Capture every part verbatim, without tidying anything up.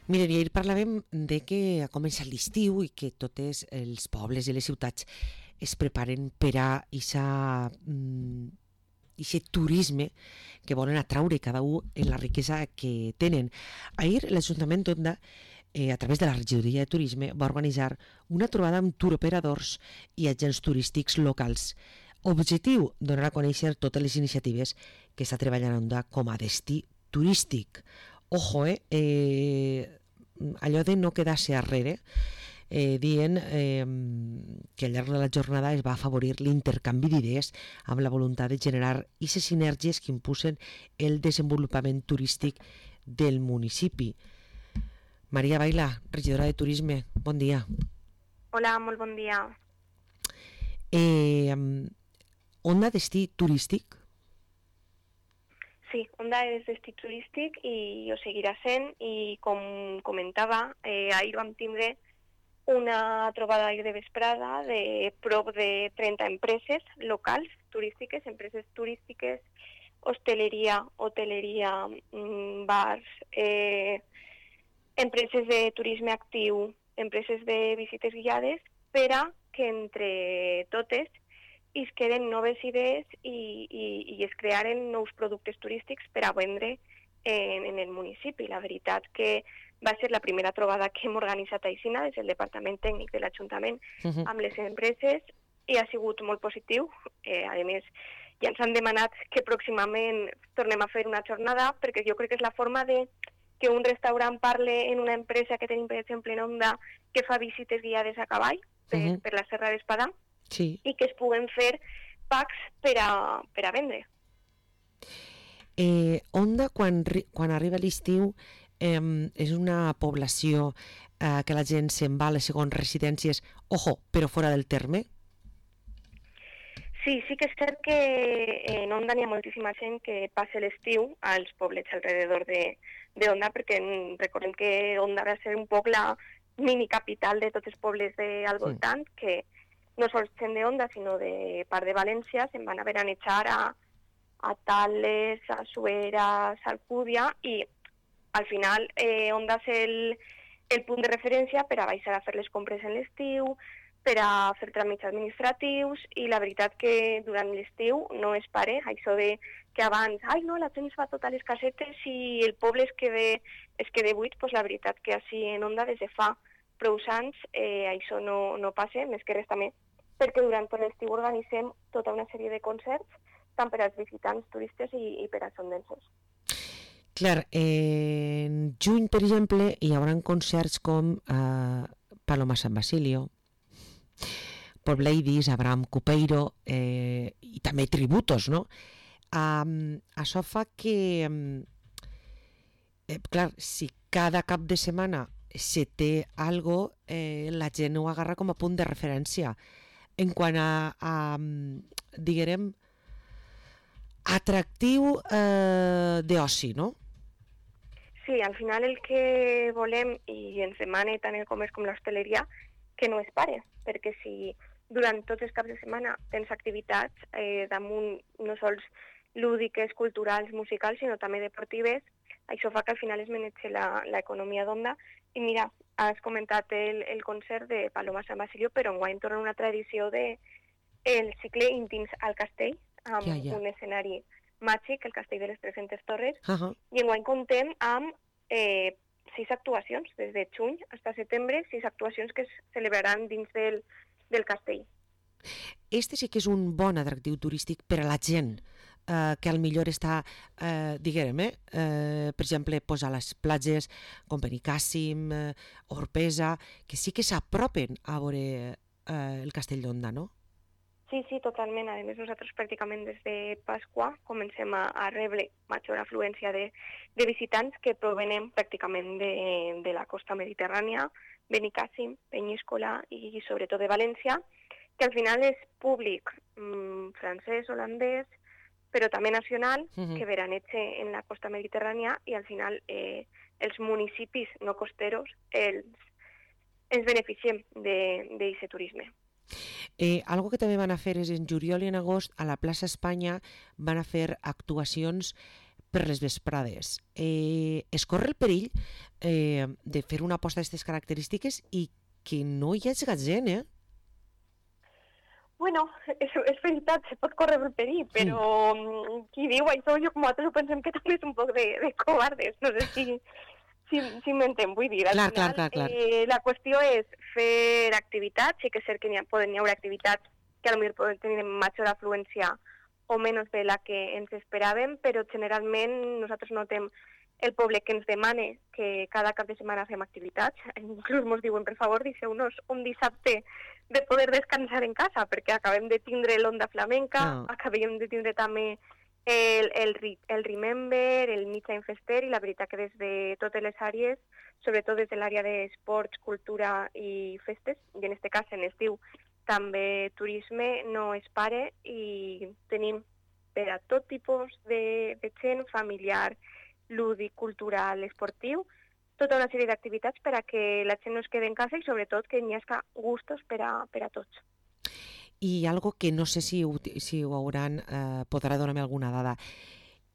Mira, ahir parlàvem de que ha començat l'estiu i que tots els pobles i les ciutats es preparen per a ixa, mm, ixe turisme que volen atraure cada un en la riquesa que tenen. Ahir l'Ajuntament d'Onda, eh, a través de la regidoria de turisme, va organitzar una trobada amb turoperadors i agents turístics locals. Objectiu, donar a conèixer totes les iniciatives que està treballant Onda com a destí turístic. Ojo, eh, eh allò de no quedar-se arrere, eh, dient eh, que al llarg de la jornada es va afavorir l'intercanvi d'idees amb la voluntat de generar aquestes sinergies que impulsen el desenvolupament turístic del municipi. Maria Baila, regidora de Turisme, bon dia. Hola, molt bon dia. Eh, Onda destí turístic? Sí, Onda és destí turístic i ho seguirà sent, i com comentava, eh, ahir vam tindre una trobada de vesprada de prop de trenta empreses locals turístiques, empreses turístiques, hosteleria, hoteleria, bars, eh, empreses de turisme actiu, empreses de visites guiades, per a que entre totes i es queden noves idees i, i, i es crearen nous productes turístics per a vendre en, en el municipi. La veritat que va ser la primera trobada que hem organitzat a Aixina des del Departament Tècnic de l'Ajuntament uh-huh. amb les empreses, i ha sigut molt positiu. Eh, a més, ja ens han demanat que pròximament tornem a fer una jornada, perquè jo crec que és la forma de que un restaurant parle en una empresa que tenim, per exemple, en Onda, que fa visites guiades a cavall per, uh-huh. per la Serra d'Espadà, sí. I que es puguen fer packs per a, per a vendre. Eh, Onda, quan, quan arriba l'estiu, eh, és una població eh, que la gent se'n va a les segones residències, ojo, però fora del terme? Sí, sí que és cert que en Onda n'hi ha moltíssima gent que passa l'estiu als poblets alrededor de, de Onda, perquè recordem que Onda va ser un poc la mini capital de tots els pobles de al voltant, sí. Que no sols gent de Onda, sinó de part de València, se'n van a veranetjar a, a Tales, a Suera, a Alcúdia, i al final eh, Onda és el, el punt de referència per a baixar a fer les compres en l'estiu, per a fer tràmits administratius, i la veritat que durant l'estiu no es pare, això de que abans, ai no, la gent es fa totes les casetes i el poble es queda, es queda buit, doncs la veritat que així en Onda des de fa prou anys eh, això no, no passa, més que res també, perquè durant tot l'estiu organitzem tota una sèrie de concerts, tant per als visitants, turistes i, i per als ondenses. Clar, eh, en juny, per exemple, hi haurà concerts com eh, Paloma San Basilio, Paul Ladies, Abraham Cupeiro eh, i també tributos, no? Um, això fa que, um, eh, clar, si cada cap de setmana se té algo, eh, la gent ho agarra com a punt de referència. En quant a, a diguem, atractiu eh, d'oci, no? Sí, al final el que volem, i ens demana tant el comerç com l'hostaleria, que no es pare, perquè si durant tots els caps de setmana tens activitats eh, damunt no sols lúdiques, culturals, musicals, sinó també deportives, això fa que al final es manegi l'economia d'Onda. I mira, has comentat el, el concert de Paloma San Basilio, però enguany torna una tradició de el cicle Íntims al Castell, amb ja, ja. Un escenari màgic, el Castell de les tres-centes Torres, uh-huh. I enguany contem amb eh, sis actuacions, des de juny fins a setembre, sis actuacions que es celebraran dins del, del castell. Este sí que és un bon atractiu turístic per a la gent, eh, que al millor està, eh, diguem, eh, eh, per exemple, pues a les platges com Benicàssim, eh, Orpesa, que sí que s'apropen a veure eh, el Castell d'Onda, no? Sí, sí, totalment. A més, nosaltres pràcticament des de Pasqua comencem a, a rebre major afluència de, de visitants que provenem pràcticament de, de la costa mediterrània, Benicàssim, Penyíscola i, i sobretot de València, que al final és públic mmm, francès, holandès, però també nacional, uh-huh. que veraneja en la costa mediterrània, i al final eh, els municipis no costeros els, ens beneficiem d'aquest turisme. Eh, algo que també van a fer és en juliol i en agost a la plaça Espanya van a fer actuacions per les vesprades. Eh, es corre el perill eh, de fer una aposta d'aquestes característiques i que no hi hagi gent, eh? Bueno, és, és veritat, se pot córrer el perill, però mm. qui diu això, jo com a altres ho pensem que també és un poc de, de covardes, no sé si, si, si m'entén, vull dir. Al clar, final, clar, clar, clar. Eh, la qüestió és fer activitats, sí que és cert que n'hi ha, poden hi haure activitats que potser poden tenir major afluència o menys de la que ens esperàvem, però generalment nosaltres notem el poble que ens demana que cada cap de setmana fem activitats. Inclús ens diuen, per favor, deixeu-nos un dissabte de poder descansar en casa, perquè acabem de tindre l'Onda Flamenca, no. acabem de tindre també el, el, el Remember, el Mitja Infester, i la veritat que des de totes les àrees, sobretot des de l'àrea d'esports, cultura i festes, i en aquest cas en estiu també turisme, no es pare, i tenim per a tot tipus de, de gent, familiar, lúdic, cultural, esportiu, tota una sèrie d'activitats per a que la gent no es quedi en casa i sobretot que n'hi hagi gustos per a, per a tots. I algo que no sé si ho, si ho hauran, eh, podrà donar-me alguna dada.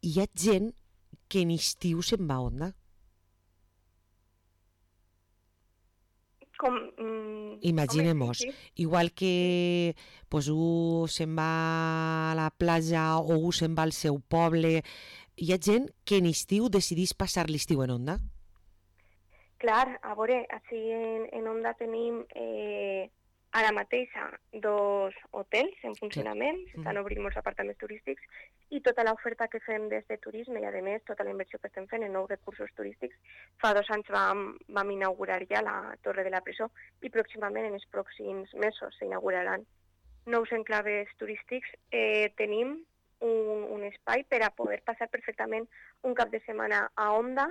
Hi ha gent que en estiu se'n va a Onda? Com, mm, Imaginem-nos, sí, sí. igual que pues, un se'n va a la platja o un se'n va al seu poble, hi ha gent que en estiu decidís passar l'estiu en Onda? Clar, a veure, així en, en Onda tenim eh, ara mateixa dos hotels en funcionament, s'estan obrint molts apartaments turístics i tota l'oferta que fem des de turisme i, a més, tota la inversió que estem fent en nous recursos turístics. Fa dos anys vam, vam inaugurar ja la Torre de la Presó i pròximament, en els pròxims mesos, s'inauguraran nous enclaves turístics. Eh, tenim un, un espai per a poder passar perfectament un cap de setmana a Onda.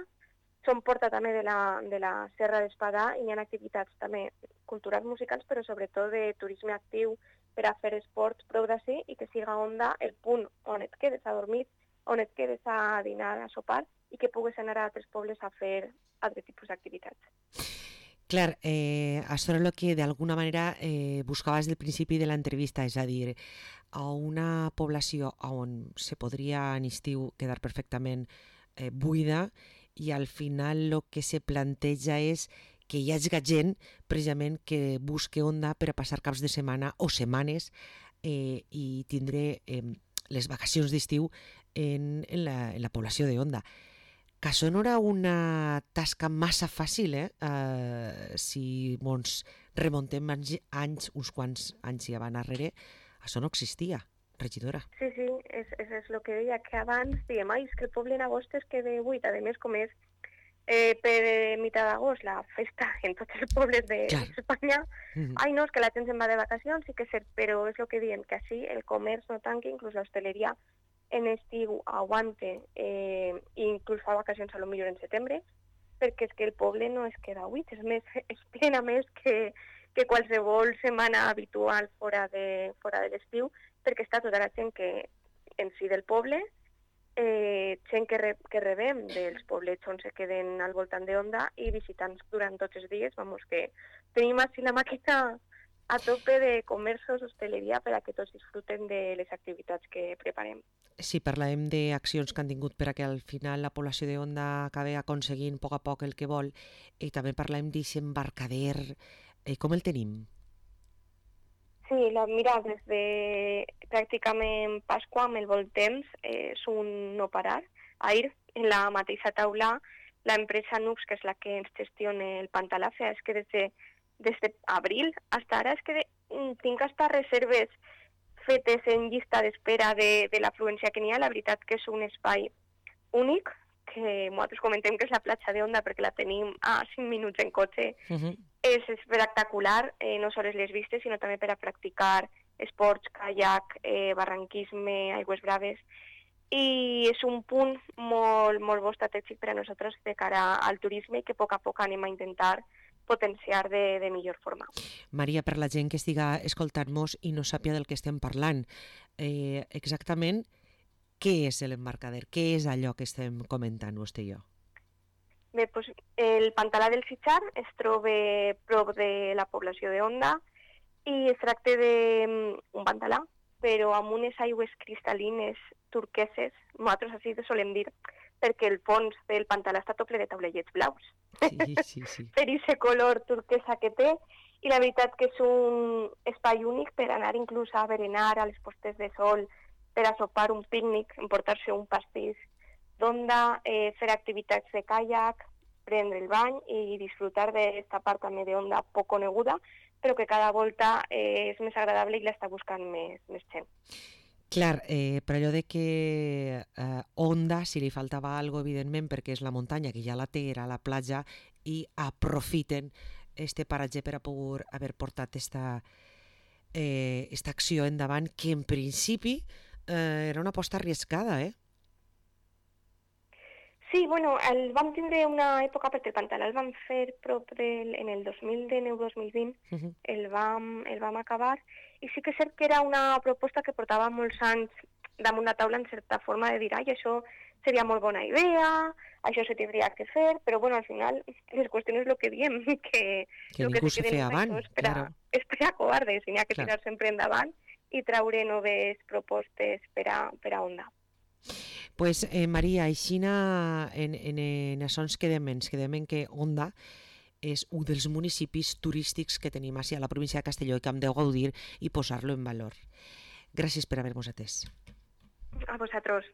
Som porta també de la, de la Serra d'Espadà i hi ha activitats també culturals, musicals, però sobretot de turisme actiu per a fer esports prou d'ací i que siga Onda el punt on et quedes a dormir, on et quedes a dinar, a sopar i que pugues anar a altres pobles a fer altres tipus d'activitats. Clar, eh, això és el que d'alguna manera eh, buscaves del principi de l'entrevista, és a dir, a una població on se podria en estiu quedar perfectament eh, buida i al final el que se planteja és que hi hagi gent precisament que busque Onda per a passar caps de setmana o setmanes eh, i tindre eh, les vacacions d'estiu en, en, la, en la població de Onda. Que això no era una tasca massa fàcil, eh? Uh, si ens remontem anys, anys, uns quants anys i abans darrere, això no existia, regidora. Sí, sí, és, és, és el que deia, que abans diem, ai, és que el poble en agost es queda buit, a més, com és eh, per mitjà d'agost la festa en tots els pobles d'Espanya, de, mm-hmm. ai, no, és que la gent se'n va de vacacions, sí que és cert, però és el que diem, que així el comerç no tanqui, inclús l'hostaleria en estiu aguante, eh, inclús fa vacacions a lo millor en setembre, perquè és que el poble no es queda buit, és més, es plena més que, que qualsevol setmana habitual fora de, fora de l'estiu, perquè està tota la gent que en si del poble, eh, gent que, re, que rebem dels poblets on se queden al voltant d'Onda i visitants durant tots els dies, vamos, que tenim així la màquina a tope de comerços, hosteleria, per a que tots disfruten de les activitats que preparem. Si parlem d'accions que han tingut per a que al final la població d'Onda acabi aconseguint a poc a poc el que vol, i també parlem d'aquest embarcader, eh, com el tenim? Sí, la, mira, des de pràcticament Pasqua amb el bon temps eh, és un no parar. Ahir, en la mateixa taula, l'empresa Nux, que és la que ens gestiona el Pantalafia, és que des de des d'abril fins ara és que de, tinc hasta reserves fetes en llista d'espera de, de l'afluència que n'hi ha. La veritat que és un espai únic, que nosaltres comentem que és la platja d'Onda perquè la tenim a cinc minuts en cotxe. Uh-huh. És espectacular, eh, no sols les vistes, sinó també per a practicar esports, kayak, eh, barranquisme, aigües braves. I és un punt molt, molt bo estratègic per a nosaltres de cara al turisme i que a poc a poc anem a intentar potenciar de, de millor forma. Maria, per la gent que estiga escoltant-nos i no sàpia del que estem parlant, eh, exactament què és l'embarcader? Què és allò que estem comentant vostè i jo? Bé, doncs, el Pantalà del Sitjar es troba prop de la població d'Onda i es tracta d'un pantalà, però amb unes aigües cristal·lines turqueses. Nosaltres així solem dir perquè el fons del pantà està tot ple de taulellets blaus. Sí, sí, sí. Per aquest color turquesa que té, i la veritat que és un espai únic per anar inclús a berenar a les postes de sol, per a sopar un pícnic, emportar-se un pastís d'onda, eh, fer activitats de caiac, prendre el bany i disfrutar d'esta part també d'onda poc coneguda, però que cada volta eh, és més agradable i l'està buscant més, més gent. Clar, eh, per allò de que eh, Onda, si li faltava algo, evidentment, perquè és la muntanya que ja la té, era la platja, i aprofiten este paratge per a poder haver portat esta, eh, esta acció endavant, que en principi eh, era una aposta arriscada, eh? Sí, bueno, el vam tindre una època, perquè el Pantalà el vam fer prop del, en el dos mil dinou dos mil vint, uh -huh. el, vam, el vam acabar, i sí que és cert que era una proposta que portava molts anys damunt la taula en certa forma de dir, ai, això seria molt bona idea, això se tindria que fer, però bueno, al final les qüestions és el que diem, que, que ningú se feia avant, és per a, claro. És per a covardes, i n'hi ha que tirar sempre endavant i traure noves propostes per a, per a Onda. Pues, eh, Maria, aixina en, en, en això ens quedem, ens quedem en que Onda és un dels municipis turístics que tenim a la província de Castelló i que hem de gaudir i posar-lo en valor. Gràcies per haver-nos atès. A vosaltres.